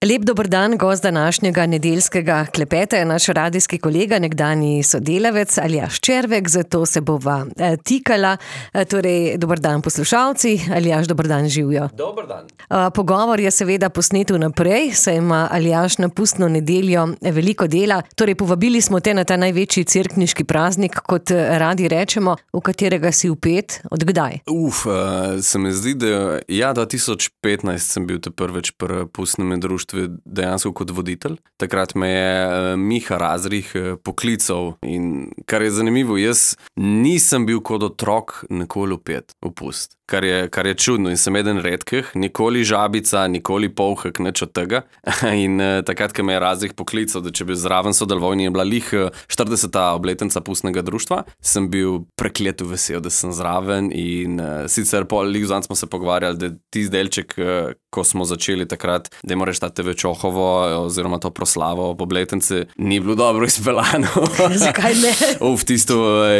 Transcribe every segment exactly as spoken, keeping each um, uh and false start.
Lep dober dan, gost današnjega nedeljskega klepeta je naš radijski kolega, nekdanji sodelavec Aljaž Červek, zato se bova tikala. Torej, dober dan poslušalci, Aljaž, dober dan, živjo. Dober dan. Pogovor je seveda posnet vnaprej, saj ima Aljaž na pustno nedeljo veliko dela. Torej, povabili smo te na ta največji cerkniški praznik, kot radi rečemo, v katerega si vpet. Od kdaj? Uf, se mi zdi, da ja, dva tisoč petnajst sem bil te prvič pri pustnem društvu dejansko kot voditelj. Takrat me je Miha Razrih poklical in kar je zanimivo, jaz nisem bil kot otrok nikoli vpet v pust. Kar je, kar je čudno in sem eden redkih, nikoli žabica, nikoli polhek, nič od tega. In uh, takrat, ko me je Razrih poklical, da če bi zraven sodeloval in je bila lih štirideseta obletnica pustnega društva, sem bil prekleto vesel, da sem zraven in uh, sicer pol lih zanj smo se pogovarjali, da tisti delček, uh, ko smo začeli takrat, da je moraš ta te ve Čohovo oziroma to proslavo ob obletnici, ni bilo dobro izpeljano. Zakaj ne? Uf, tisto uh,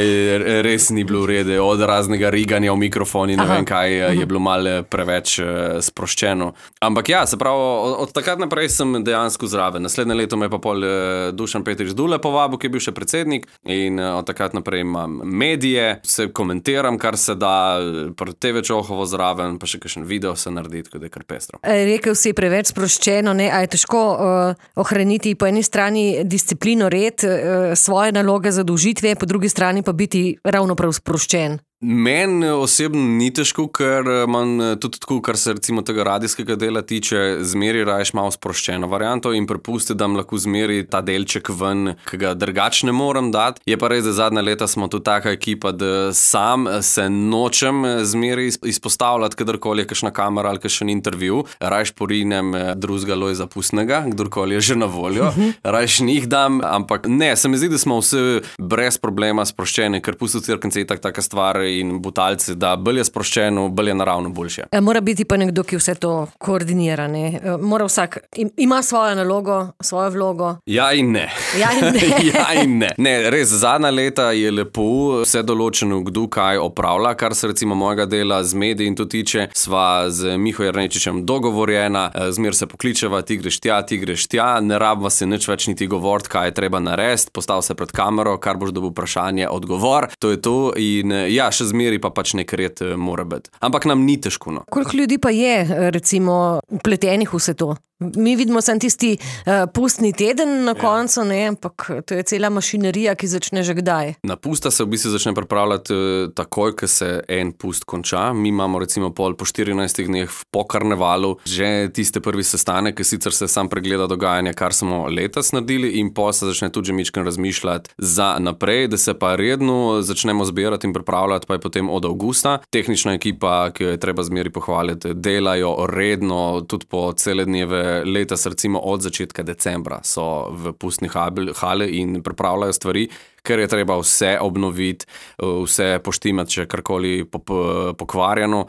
res ni bilo v redu, od raznega riganja v mikrofon in ne vem kaj, je bilo malo preveč uh, sproščeno. Ampak ja, se pravi, od, od takrat naprej sem dejansko zraven. Naslednje leto me je pa pol uh, Dušan Petrič Dule povabil, ki je bil še predsednik in uh, od takrat naprej imam medije, se komentiram, kar se da, pri te ve Čohovo zraven, pa še kakšen video se naredi, tako da je kar pestro. Rekel si preveč sproščeno, ne, a je težko uh, ohraniti po eni strani disciplino, red, uh, svoje naloge, zadolžitve, po drugi strani pa biti ravno prav sproščen. Meni osebno ni težko, ker imam tudi tako, kar se recimo tega radijskega dela tiče, zmeri raješ malo sproščeno varianto in prepusti, da mi lahko zmeri ta delček ven, ki ga drugače ne morem dati. Je pa res, da zadnja leta smo tu taka ekipa, da sam se nočem zmeri izpostavljati, kadarkoli je kakšna kamera ali kakšen intervju. Rajš porinem drugega Lojza Pustnega, kdorkoli je že na voljo. Rajš njih dam, ampak ne, se mi zdi, da smo vsi brez problema sproščeni, ker pusto cerkence je tak, taka stvar in butalci, da bolj je sproščeno, bolj je naravno boljše. Mora biti pa nekdo, ki vse to koordinira, ne? Mora vsak, ima svojo nalogo, svojo vlogo. Ja in ne. Ja in ne. ja in ne. Ne, res, zadnja leta je lepo vse določeno, kdo kaj opravlja, kar se recimo mojega dela z mediji in to tiče. Sva z Miho Jernečičem dogovorjena, zmer se pokličeva, ti greš tja, ti greš tja, ne rabva se nič več niti govoriti, kaj je treba narediti, postav se pred kamero, kar boš dobil vprašanje, odgovor, to je to in ja, še zmeri pa pač nek red mora biti. Ampak nam ni težko, no. Koliko ljudi pa je, recimo, vpletenih vse to? Mi vidimo sem tisti uh, pustni teden na koncu, ja. Ne, ampak to je cela mašinerija, ki začne že kdaj. Na pusta se v bistvu začne pripravljati uh, takoj, ko se en pust konča. Mi imamo recimo pol po štirinajstih dneh po karnevalu že tiste prvi sestanek, ki sicer se sam pregleda dogajanje, kar smo letos naredili in po se začne tudi že mičken razmišljati za naprej, da se pa redno začnemo zbirati in pripravljati, pa je potem od avgusta. Tehnična ekipa, ki jo je treba zmeri pohvaliti, delajo redno, tudi po cele dneve letos, recimo od začetka decembra so v pustni hali in pripravljajo stvari, ker je treba vse obnoviti, vse poštimati, če karkoli pokvarjeno.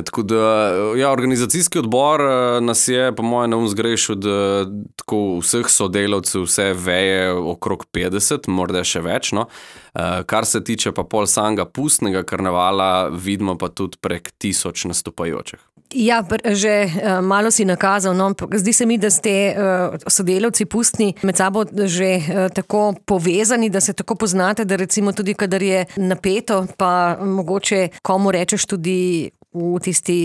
Tako da, ja, organizacijski odbor nas je, po mojem, na um zgrešil, da tako vseh sodelavcev, vse veje okrog petdeset, morda še več, no. Kar se tiče pa pol samega pustnega karnevala, vidimo pa tudi prek tisoč nastopajočih. Ja, že uh, malo si nakazal, no, zdi se mi, da ste uh, sodelavci pustni med sabo že uh, tako povezani, da se tako poznate, da recimo tudi, kadar je napeto, pa mogoče komu rečeš tudi v tisti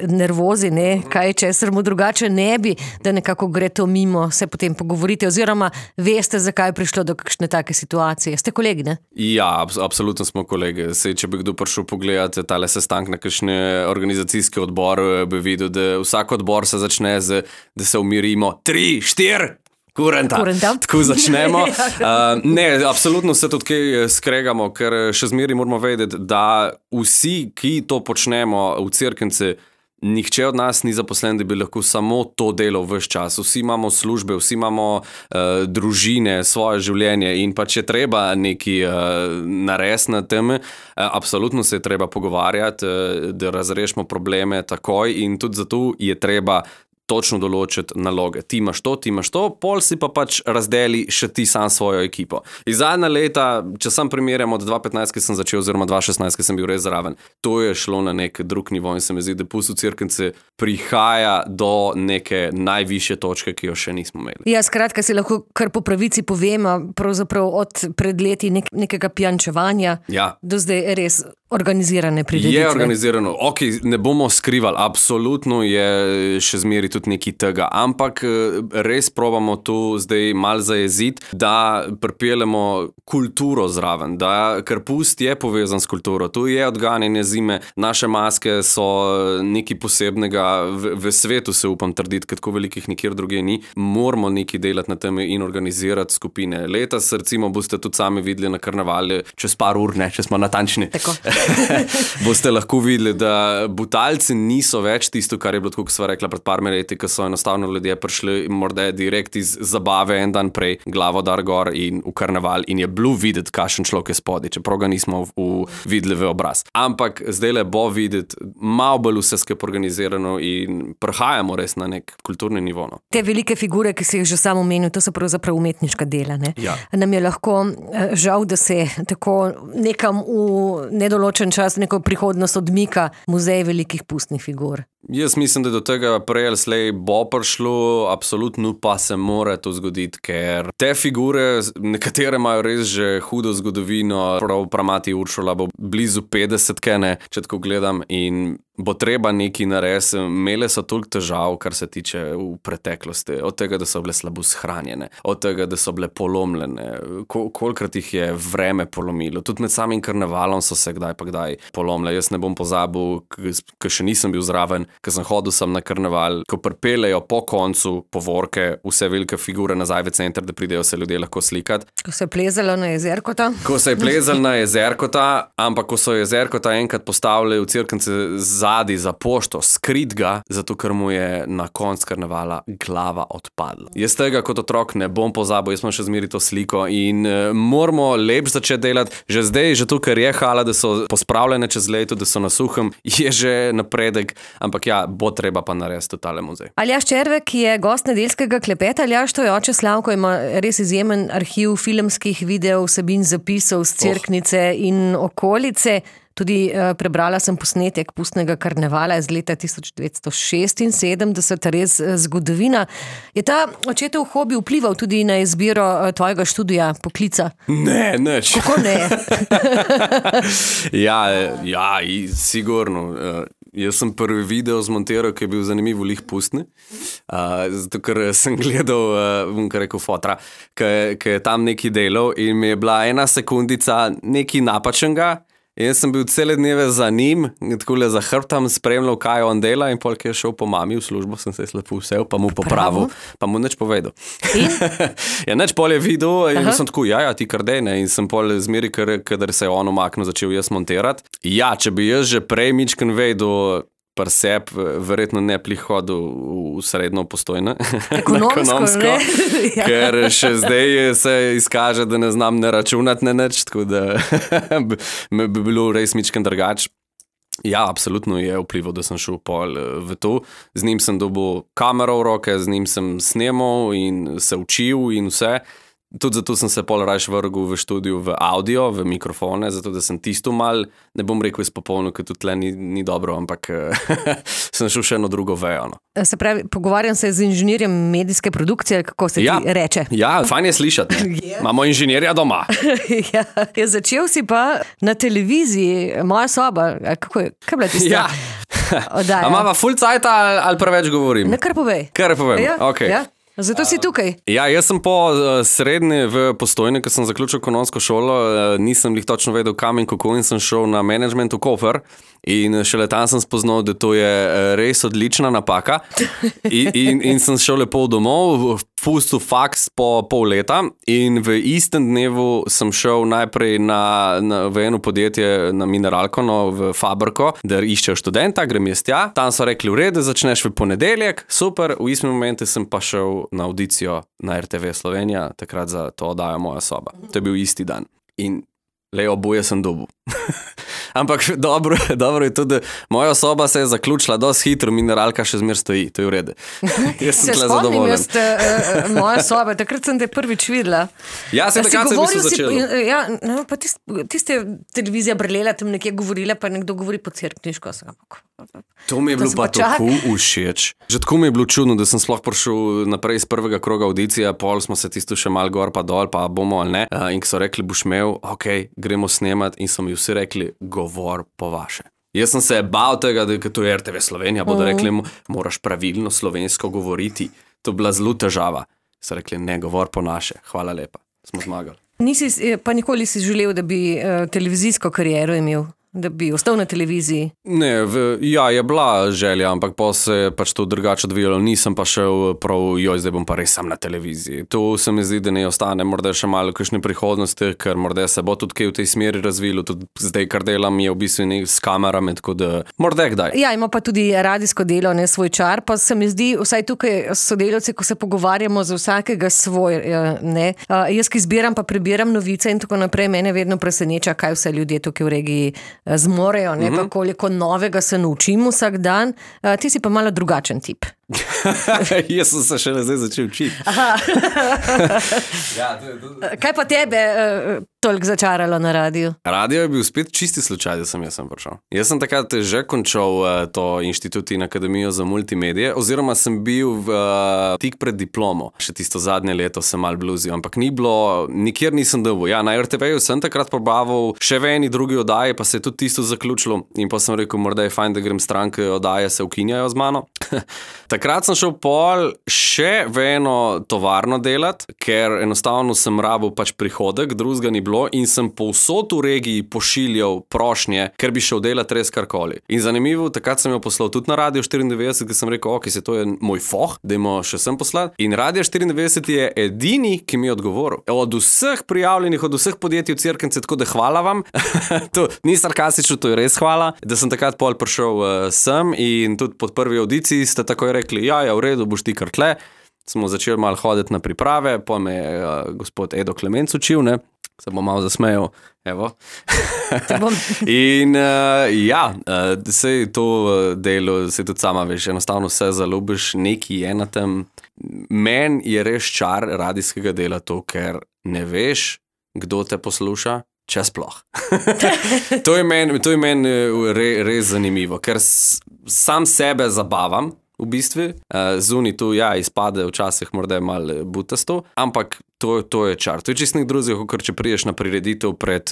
nervozi, ne, kaj česar mu drugače ne bi, da nekako gre to mimo, se potem pogovorite oziroma veste, zakaj je prišlo do kakšne take situacije. Ste kolegi, ne? Ja, abs- absolutno smo kolegi. Sej, če bi kdo prišel pogledati tale sestank na kakšne organizacijski odbor, bi videl, da vsak odbor se začne z, da se umirimo tri, štiri, Kurenta. Kurenta. Tako začnemo. Uh, ne, absolutno se tudi kaj skregamo, ker še zmeri moramo vedeti, da vsi, ki to počnemo v cerknici, nihče od nas ni zaposlen, da bi lahko samo to delal ves čas. Vsi imamo službe, vsi imamo uh, družine, svoje življenje in pa če treba nekaj uh, narediti na tem, uh, absolutno se je treba pogovarjati, uh, da razrešimo probleme takoj in tudi zato je treba točno določiti naloge. Ti imaš to, ti imaš to, pol si pa pač razdeli še ti sam svojo ekipo. In zadnja leta, če sam primerjam od dva petnajst, ki sem začel, oziroma dva šestnajst, ki sem bil res zraven, to je šlo na nek drug nivo in se mi zdi, da Pust v Cerknici prihaja do neke najvišje točke, ki jo še nismo imeli. Ja, skratka, si lahko kar po pravici povem, pravzaprav od pred leti nek, nekega pijančevanja ja. do zdaj res organizirane prireditve. Je organizirano, ok, ne bomo skrivali, absolutno je še zmeri tudi nekaj tega, ampak res probamo tu zdaj malo zajeziti, da pripeljemo kulturo zraven, da ker Pust je povezan s kulturo, tu je odganjanje zime, naše maske so nekaj posebnega v, v svetu, se upam trditi, ker tako velikih nikjer druge ni, moramo nekaj delati na tem in organizirati skupine. Letos, recimo, boste tudi sami videli na karnevalu, čez par ur, ne, če smo natančni. Tako. Boste lahko videli, da Butalci niso več tisto, kar je bilo tako, ko sva rekla pred parmi leti, ko so enostavno ljudje prišli morda direkt iz zabave en dan prej, glavo dar gor in v karneval in je bilo videti, kakšen človek je spodaj, čeprav ga nismo v, v videli v obraz. Ampak zdaj le bo videti malo bolj vse skupaj organizirano in prihajamo res na nek kulturni nivo. No. Te velike figure, ki si jih že sam omenil, to so pravzaprav umetniška dela. Ne? Ja. Nam je lahko žal, da se tako nekam v nedoločen čas, neko prihodnost odmika muzej velikih pustnih figur. Jaz mislim, da do tega prej ali slej bo prišlo, absolutno pa se mora to zgoditi, ker te figure, nekatere imajo res že hudo zgodovino, prav pramati Uršula bo blizu petdesetke, ne, če tako gledam, in bo treba nekaj narediti. Imele so toliko težav, kar se tiče v preteklosti, od tega, da so bile slabo shranjene, od tega, da so bile polomljene, Kol- kolikrat jih je vreme polomilo, tudi med samim karnevalom so se kdaj pa kdaj polomile. Jaz ne bom pozabil, ker še nisem bil zraven, ko sem hodil sem na karneval, ko pripeljejo po koncu povorke vse velike figure nazaj v center, da pridejo se ljudje lahko slikati. Ko se je plezalo na Jezerkota? Ko se je plezalo na Jezerkota, ampak ko so Jezerkota enkrat postavili v Cerknici zadi za pošto, skrit ga, zato ker mu je na konc karnevala glava odpadla. Jaz tega kot otrok ne bom pozabil, jaz imam še zmeri to sliko in uh, moramo lepš začeti delati. Že zdaj, že to, ker je hala, da so pospravljene čez leto, da so na suhem, je že napredek, ampak ja, bo treba pa narediti totale muzej. Aljaž Červek je gost nedeljskega klepeta. Aljaž, to je oče Slavko, ima res izjemen arhiv filmskih videov, vsebin zapisov z Cerknice oh. in okolice. Tudi uh, prebrala sem posnetek Pustnega karnevala iz leta tisoč devetsto šestinsedemdeset, res uh, zgodovina. Je ta očetov hobi vplival tudi na izbiro uh, tvojega študija, poklica? Ne, nič. Kako ne? ja, ja, sigurno. Uh, Jaz sem prvi video zmontiral, ki je bil zanimiv v lih pustni, uh, zato ker sem gledal, uh, bom kar rekel, fotra, ki je tam neki delal in mi je bila ena sekundica nekaj napačnega. Jaz sem bil cele dneve za njim, takole za hrbtom spremljal, kaj on dela in pol, ki je šel po mami v službo, sem se slepo vsel, pa mu popravil, pa mu nič povedal. ja, nič pol je videl in Aha. sem tako, ja, ja, ti kar dej, ne, in sem pol zmeri, kadar se je on umaknil, začel jaz montirati. Ja, če bi jaz že prej mičken vedel, par seb, verjetno ne prihodil v srednjo Postojno. Ekonomsko, ekonomsko ne? ja. Ker še zdaj se izkaže, da ne znam ne računati, ne nič, tako da bi bilo res mičken drugač. Ja, absolutno je vplival, da sem šel pol v to. Z njim sem dobil kamero v roke, z njim sem snemal in se učil in vse. Tudi zato sem se pol rajš vrgel v študiju v audio, v mikrofone, zato da sem tisto mal, ne bom rekel izpopolnil, ker tudi tle ni, ni dobro, ampak sem šel še eno drugo vejo. No. Se pravi, pogovarjam se z inženirjem medijske produkcije, kako se ja, ti reče. Ja, fajn je slišati. yeah. Imamo inženirja doma. ja, ja, začel si pa na televiziji, Moja soba, kako je, kaj bila tista? Ja. A imava full cajta ali, ali preveč govorim? Ne, kar povej. Kar povem, ja, ok. Ja. Zato si tukaj. Ja, jaz sem po uh, srednji v Postojni, ko sem zaključil ekonomsko šolo, uh, nisem jih točno vedel kam in kako in sem šel na management v Koper in šele tam sem spoznal, da to je uh, res odlična napaka in, in, in sem šel lepo domov, pustil faks po pol leta in v istem dnevu sem šel najprej na, na, v eno podjetje na Mineralko, no, v Fabrko, da iščejo študenta, grem jaz tja, tam so rekli, v redu, začneš v ponedeljek, super, v istem momentu sem pa šel na audicijo na er te ve Slovenija, takrat za to oddajo Moja soba. To je bil isti dan. In le oboje sem dobil. Ampak dobro, dobro je tudi, da moja soba se je zaključila dosti hitro, mineralka še zmer stoji, to je v redu. Jaz sem tle zadovoljen. Jaz uh, moja soba, takrat sem te prvič videla. Ja, sem takrat se bi se začela. Ja, no, pa tist, tiste televizija brlela, tam nekje govorila, pa nekdo govori po cerkniško. To mi je bilo pa tako všeč. Že tako mi je bilo čudno, da sem sploh prišel naprej iz prvega kroga audicija, pol smo se tisto še mal gor pa dol, pa bomo ali ne. Uh, in ko so rekli, boš imel, ok, gremo snemat in so mi vsi rekli, govor po vaše. Jaz sem se bal tega, da je to R T V Slovenija, bodo rekli, moraš pravilno slovensko govoriti. To je bila zelo težava. So rekli, ne, govor po naše. Hvala lepa, smo zmagali. Nisi, pa nikoli si želel, da bi uh, televizijsko kariero imel? Da bi ostal na televiziji? Ne, v, ja, je bila želja, ampak pa se je pač to drugače odvijalo. Nisem pa šel prav, joj, zdaj bom pa res sam na televiziji. To se mi zdi, da ne ostane morda še malo kakšne prihodnosti, ker morda se bo tudi kaj v tej smeri razvilo. Tudi zdaj, kar delam, je v bistvu ne s kamerami, tako da morda kdaj. Ja, ima pa tudi radijsko delo, ne svoj čar, pa se mi zdi, vsaj tukaj sodelavci, ko se pogovarjamo za vsakega svoj, ne. Jaz, ki zbiram pa prebiram novice in tako naprej, mene vedno preseneča, kaj vse ljudje tukaj v regiji zmorejo, ne, pa koliko novega se naučim vsak dan. Uh, ti si pa malo drugačen tip. Jaz sem se šele zdaj začel učiti. Ja, to je, to... Kaj pa tebe uh, toliko začaralo na radiju? Radio je bil spet čisti slučaj, da sem jaz sem prišel. Jaz sem takrat že končal uh, to inštitut in akademijo za multimedije, oziroma sem bil v, uh, tik pred diplomo. Še tisto zadnje leto sem mal bluzil, ampak ni bilo, nikjer nisem dobil. Ja, na R T V-ju sem takrat probaval še v eni drugi oddaji, pa se je tudi tisto zaključilo in pa sem rekel, morda je fajn, da grem stranke oddaje, se ukinjajo z mano. Takrat sem šel pol še v eno tovarno delat, ker enostavno sem rabil pač prihodek, drugega ni bilo in sem povsod v regiji pošiljal prošnje, ker bi šel delat res karkoli. In zanimivo, takrat sem jo poslal tudi na Radio štiriindevetdeset, ker sem rekel, ok, se to je moj foh, dajmo še sem poslati. In Radio štiriindevetdeset je edini, ki mi je odgovoril. Od vseh prijavljenih, od vseh podjetij v Cerknici, tako da hvala vam. To ni sarkastično, to je res hvala, da sem takrat pol prišel uh, sem in tudi pod prvi audiciji ste takoj rekli, ja, ja, v redu, boš ti kar tle. Smo začeli malo hoditi na priprave, pa me je uh, gospod Edo Klemenc učil, ne, se bom malo zasmejal, evo. In uh, ja, uh, sej to delo, sej tudi sama veš, enostavno vse zaljubiš, neki je na tem. Men je res čar radijskega dela to, ker ne veš, kdo te posluša, če sploh. To je meni men re, res zanimivo, ker s, sam sebe zabavam, v bistvu. Zunaj tu, ja, izpade včasih morda malo butasto, ampak to, to je čar. To je čist nek drugih, kot če priješ na prireditev pred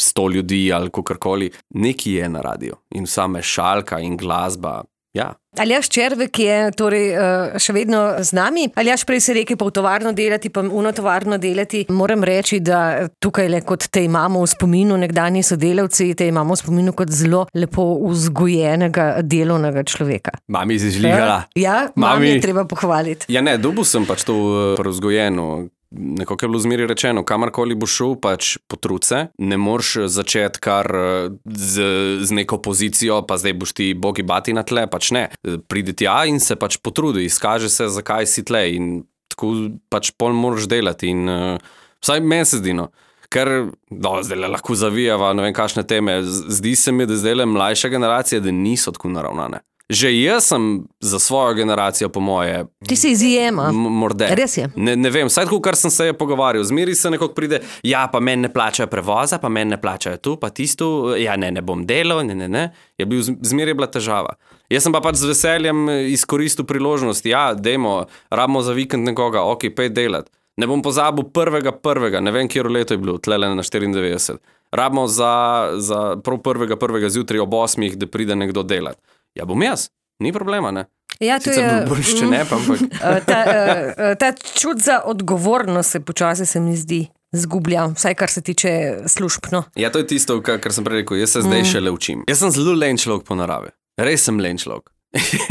sto ljudi ali kakorkoli. Nekaj je na radiju in same šalka in glasba, ja. Aljaž Červek je torej še vedno z nami. Aljaž, prej si rekel pa v tovarno delati, pa uno tovarno delati. Moram reči, da tukaj le kot te imamo v spominu nekdanji sodelavci, te imamo v spominu kot zelo lepo vzgojenega delovnega človeka. Mami si žligala. Ja, mami je treba pohvaliti. Ja ne, dobil sem pač to vzgojeno. Nekako je bilo zmeri rečeno, kamarkoli bo šel, pač potrud se, ne moreš začeti kar z, z neko pozicijo, pa zdaj boš ti bogi bati na tle, pač ne. Pridi tja in se pač potrudi, izkaže se, zakaj si tle in tako pač pol moraš delati in uh, vsaj meni se zdi, no. Ker, no, zdaj lahko zavijava, ne vem kakšne teme, zdi se mi, da zdaj mlajša generacija, da niso tako naravnane. Že jaz sem za svojo generacijo, po moje... Ti si izjema. Morde. Res je. Ne, ne vem, vsaj tako, kar sem se je pogovarjal. Zmeri se nekako pride, ja, pa meni ne plačajo prevoza, pa meni ne plačajo tu, pa tisto, ja, ne, ne bom delal, ne, ne, ne. Je bil, zmeri je bila težava. Jaz sem pa pač z veseljem izkoristil priložnost, ja, dejmo, rabimo za vikend nekoga, ok, pej delat. Ne bom pozabil prvega prvega, ne vem, kjero leto je bilo, tlele na štiriindevetdeset. Rabimo za, za prav prvega prvega zjutraj ob osmih, da pride nekdo delat. Ja, bom jaz, ni problema, ne? Ja, to Sicer je... bolj še ne, pa ampak... ta, ta čut za odgovornost se počasi se mi zdi zgublja, vsaj kar se tiče službno. Ja, to je tisto, kar, kar sem prej rekel, jaz se zdaj mm. šele učim. Jaz sem zelo len človek po naravi. Res sem len človek.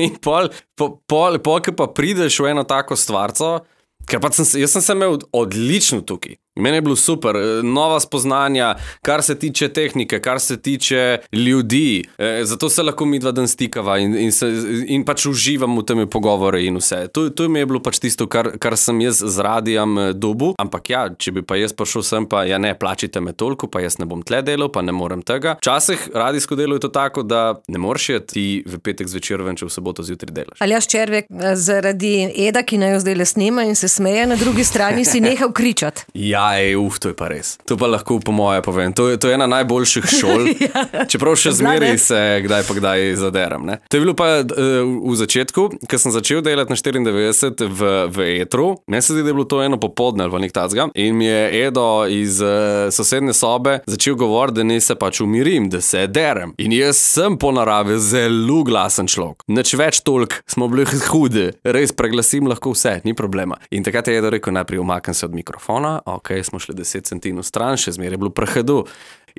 In pol, pol, pol, pol, ki pa prideš v eno tako stvarco, ker pa sem, jaz sem se imel odlično tukaj. Meni je bilo super, nova spoznanja, kar se tiče tehnike, kar se tiče ljudi. E, zato se lahko midva dan stikava in, in, se, in pač uživam v temi pogovore in vse. To, to mi je bilo pač tisto, kar, kar sem jaz z radijem dobil. Ampak ja, če bi pa jaz prišel sem, pa ja ne, plačite me toliko, pa jaz ne bom tle delal, pa ne morem tega. Včasih radijsko delo je to tako, da ne moreš je ti v petek zvečer ven, če v soboto zjutraj delaš. Aljaž Červek, zaradi Eda, ki naj jo zdaj le snema in se smeje, na drugi strani si nehal kričati. Ja, ej, uf, to je pa res. To pa lahko po moje povem. To je, to je ena najboljših šol. Ja. Čeprav še zmeraj se kdaj pa kdaj zaderam. Ne? To je bilo pa uh, v začetku, ko sem začel delati na štiriindevetdeset v, v etru. Meni se zdi, da je bilo to eno popoldne ali pa nek tacga. In mi je Edo iz uh, sosedne sobe začel govoriti, da ne se pač umirim, da se derem. In jaz sem po naravi zelo glasen človek. Nič več toliko, smo bili hudi. Res preglasim lahko vse, ni problema. In takrat je Edo rekel, najprej umaknem se od mikrofona, ok, smo šli deset centinov stran, še zmeraj je bilo prehedu.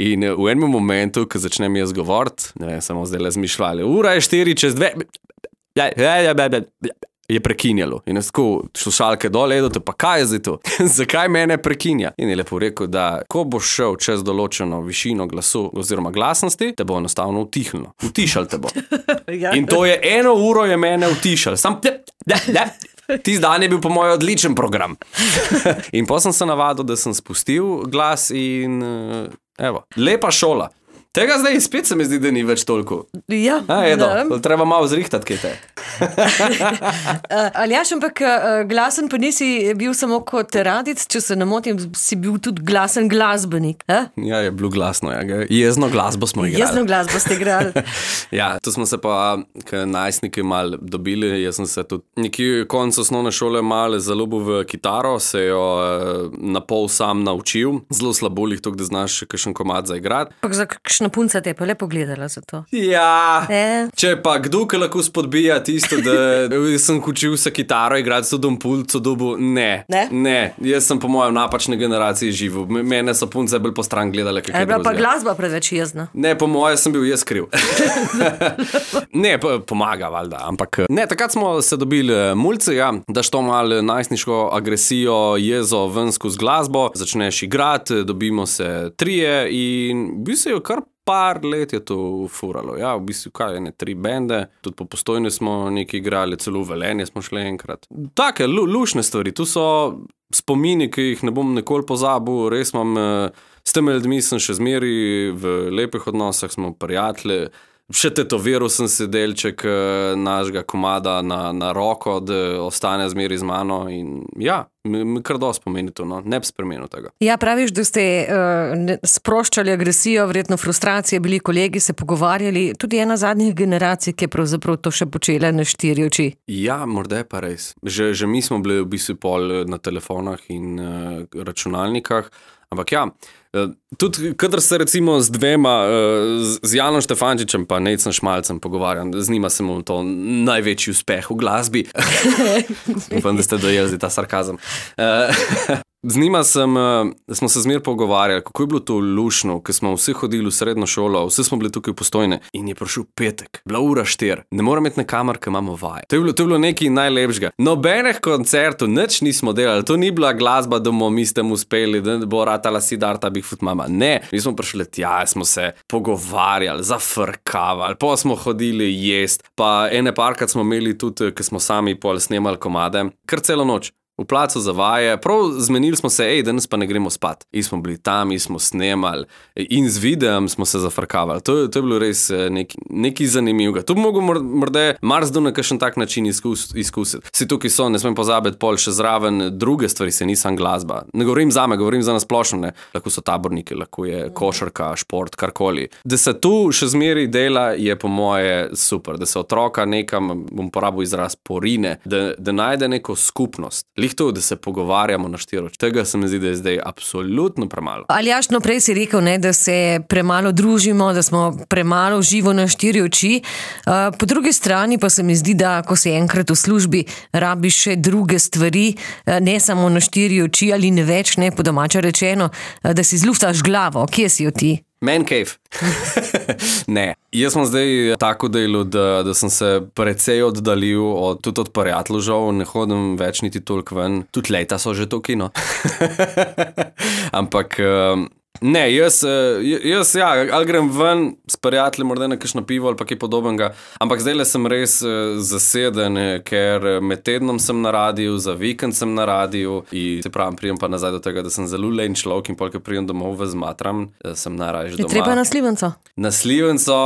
In v enem momentu, ko začnem jaz govoriti, ne vem, samo zdaj le zmišljali, ura je štiri čez dve, je prekinjalo. In jaz tako, slušalke dol, Edo, pa kaj je zdaj to? Zakaj mene prekinja? In je lepo rekel, da ko boš šel čez določeno višino glasu oziroma glasnosti, te bo enostavno utihnilo. Utišal te bo. In to je eno uro je mene utišal. Sam tisti dan je bil po moj odličen program. In potem sem se navadil, da sem spustil glas in evo, lepa šola. Tega zdaj spet se mi zdi, da ni več toliko. Ja. A, Edo, treba malo zrihtati, kaj te. Aljaž, ampak glasen pa nisi bil samo kot radic, če se ne motim, si bil tudi glasen glasbenik. A? Ja, je bilo glasno. Ja. Jezno glasbo smo igrali. Jezno glasbo ste igrali. Ja, to smo se pa najstniki malo dobili. Jaz sem se tudi nekje konec osnovne šole malo zaljubil v kitaro, se jo na pol sam naučil. Zelo slabo lih to, da znaš kakšen komad zaigrati. Pak za kakšna punca te pa lepo gledala za to. Ja, e? Če pa kdo, ki lahko spodbija tisto, da sem učil se kitaro igrati, so dom pult, so dobu, ne, ne, ne, jaz sem po mojem napačni generaciji živel. Mene so punce bolj po stran gledale, kaj je bilo. Pa glasba preveč jezna. Ne, po mojem sem bil jaz kriv. Ne, pomaga, valjda, ampak ne, takrat smo se dobili mulci, ja, daš to malo najstniško agresijo, jezo ven skozi glasbo, začneš igrati, dobimo se trije in bi se jo kar par let je to furalo. Ja, v bistvu kaj, ene tri bende, tudi po Postojni smo nekaj igrali, celo v Velenje smo šli enkrat. Take lu, lušne stvari, tu so spomini, ki jih ne bom nikoli pozabil, res imam, s temi ljudmi sem še zmeri v lepih odnosah, smo prijatelji. Še tetoviral sem se delček našega komada na, na roko, da ostane zmeri z mano in ja, mi, mi kar dosti pomeni to, no, ne bi spremenil tega. Ja, praviš, da ste uh, sproščali agresijo, verjetno frustracije, bili kolegi, se pogovarjali, tudi ena zadnjih generacij, ki je pravzaprav to še počela na štiri oči. Ja, morda je pa res. Že, že mi smo bili v bistvu pol na telefonah in uh, računalnikah, ampak ja, tudi kadar se recimo z dvema, z Janom Štefančičem pa Nejcem Šmalcem pogovarjam, z njima sem to največji uspeh v glasbi. Upam, da ste dojeli ta sarkazem. Z njima sem, smo se zmer pogovarjali, kako je bilo to lušno, ko smo vsi hodili v srednjo šolo, vsi smo bili tukaj v Postojni in je prišel petek, bila ura štir, ne morem imeti na kamer, ker imamo vaje. To je bilo, to je bilo nekaj najlepšega. Nobenih koncertov, nič nismo delali, to ni bila glasba, da bomo mi s tem uspeli, da bo ratala Siddharta Big Foot Mama. Ne, mi smo prišli tja, smo se pogovarjali, zafrkavali, pa smo hodili jest, pa ene parkrat smo imeli tudi, ker smo sami pol snemali komade, kar celo noč. V placu za vaje, prav zmenili smo se, ej, danes pa ne gremo spat. In smo bili tam, in smo snemali, in z videom smo se zafrkavali. To, to je bilo res nekaj, nekaj zanimivega. To bi mogel morda marsdo na kakšen tak način izkus, izkusiti. Vsi tukaj so, ne smem pozabiti pol še zraven druge stvari, se nisem glasba. Ne govorim zame, govorim za nasplošno, ne. Lahko so taborniki, lahko je košarka, šport, karkoli. Da se tu še zmeri dela, je po moje super. Da se otroka nekam, bom porabil izraz, porine, da, da najde neko skupnost. To, da se pogovarjamo na štiri oči. Tega se mi zdi, da je zdaj absolutno premalo. Aljaž, no prej si rekel, ne, da se premalo družimo, da smo premalo živo na štiri oči. Uh, po drugi strani pa se mi zdi, da ko si enkrat v službi, rabiš še druge stvari, uh, ne samo na štiri oči ali ne več, ne po domače rečeno, uh, da si zluftaš glavo. Kje si jo ti? Man cave. Ne, jaz sem zdaj tako delu, da, da sem se precej oddaljil od, tudi od prijateljev, ne hodim več niti toliko ven, tudi leta so že to kino. Ampak ne, jaz, jaz ja, ali grem ven s prijatelji, morda na kakšno pivo ali pa kaj podobnega, ampak zdaj le sem res zaseden, ker med tednom sem na radiju, za vikend sem na radiju in se pravim, prijem pa nazaj do tega, da sem zelo len človek in polk prijem domov vezmatram, sem najraje doma. Je treba na Slivenco? Na Slivenco,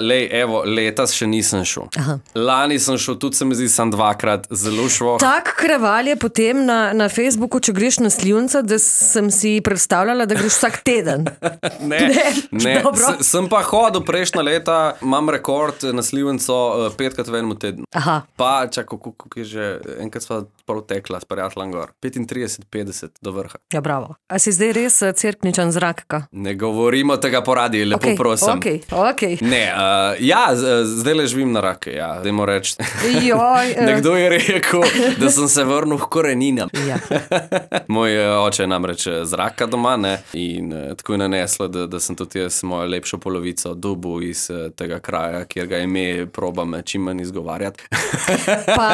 lej, evo, letos še nisem šel. Aha. Lani sem šel, tudi se mi zdi, sam dvakrat, zelo šlo. Tak kraval je potem na, na Facebooku, če greš na Slivenco, da sem si predstavljala, da greš vsak teden. Ne, ne, ne. S, sem pa hodil prejšnja leta, imam rekord na Slivenco petkrat v enem tednu. Aha. Pa, čakaj, kako je že, enkrat sva prav tekla s prijateljem gor. petintrideset petdeset do vrha. Ja, bravo. A si zdaj res cerkničan zrakka? Ne govorimo tega po radiju, lepo okay, prosim. Ok, ok. Ne, uh, ja, zdaj le živim na rake, ja, dajmo reči. Joj. Nekdo je rekel, da sem se vrnil v koreninam. Ja. Moj oče je namreč zraka doma, ne, in tako je naneslo, da, da sem tudi jaz mojo lepšo polovico dobil iz tega kraja, kjer ga ime probam čim manj izgovarjati. Pa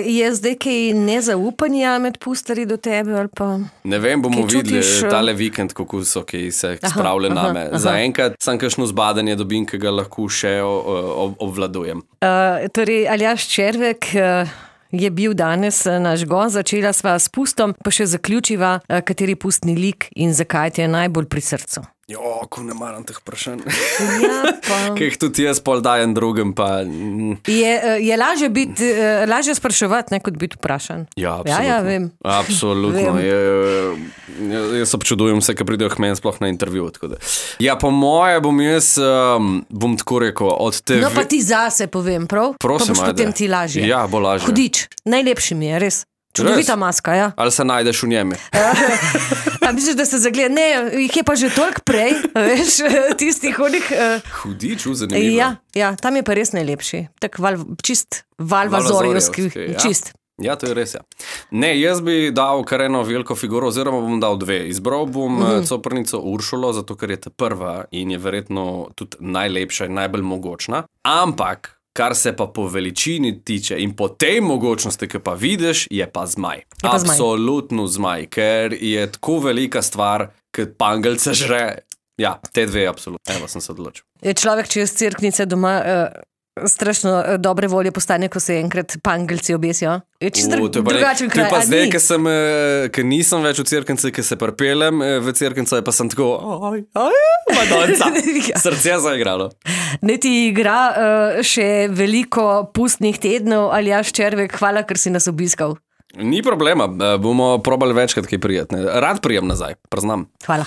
je zdaj kaj nezaupanja med pustarji do tebe ali pa... Ne vem, bomo videli tale vikend, kako so, ki se spravlja name. Zaenkrat sem kakšno zbadanje dobim, ki ga lahko še obvladujem. Uh, torej, Aljaž Červek uh, je bil danes naš gost, začela sva s pustom, pa še zaključiva, uh, kateri pustni lik in zakaj ti je najbolj pri srcu. Jo, ko ne maram teh vprašanj. Ja, pa... Kaj jih tudi jaz pol dajem drugim, pa... Je, je lažje biti, lažje spraševati, ne, kot biti vprašan. Ja, absolutno. Ja, ja, vem. Absolutno. Vem. Je, jaz občudujem vse, ki pridejo k meni sploh na intervju. Ja, po moje bom jaz, um, bom tako rekel, od te... No, pa ti zase povem, prav? Prosim, pa boš ajde. Potem ti lažje. Ja, bo lažje. Hudič, najlepši mi je, res. Čudovita maska, ja. Ali se najdeš v njemi? A misliš, da se zagleda? Ne, jih je pa že toliko prej, veš, tistih onih... Uh... Hudič, zanimivo. Ja, ja, tam je pa res najlepši. Tak val, čist valvazorjevski, ja. Čist. Ja, to je res, ja. Ne, jaz bi dal kar eno veliko figuro, oziroma bom dal dve. Izbral bom mm-hmm. coprnico Uršulo, zato ker je ta prva in je verjetno tudi najlepša in najbolj mogočna. Ampak kar se pa po veličini tiče in po tej mogočnosti, ki pa vidiš, je pa zmaj. Je pa zmaj. Absolutno zmaj, ker je tako velika stvar, ki pangelce žre. Ja, te dve absolutno. Evo, sem se odločil. Je človek, če je z cerknice doma, uh, strašno uh, dobre volje postane, ko se enkrat pangelci obesijo. Je čisto dru- drugačen kraj. To je pa zdaj, ker sem, ker nisem več v cerknici, ker se pripeljem v cerknico, pa sem tako, oj, oj, madonca. Srce je zaigralo. Ne ti igra uh, še veliko pustnih tednov, Aljaž Červek, hvala, ker si nas obiskal. Ni problema, bomo probali večkrat kaj prijetne. Rad prijem nazaj, priznam. Hvala.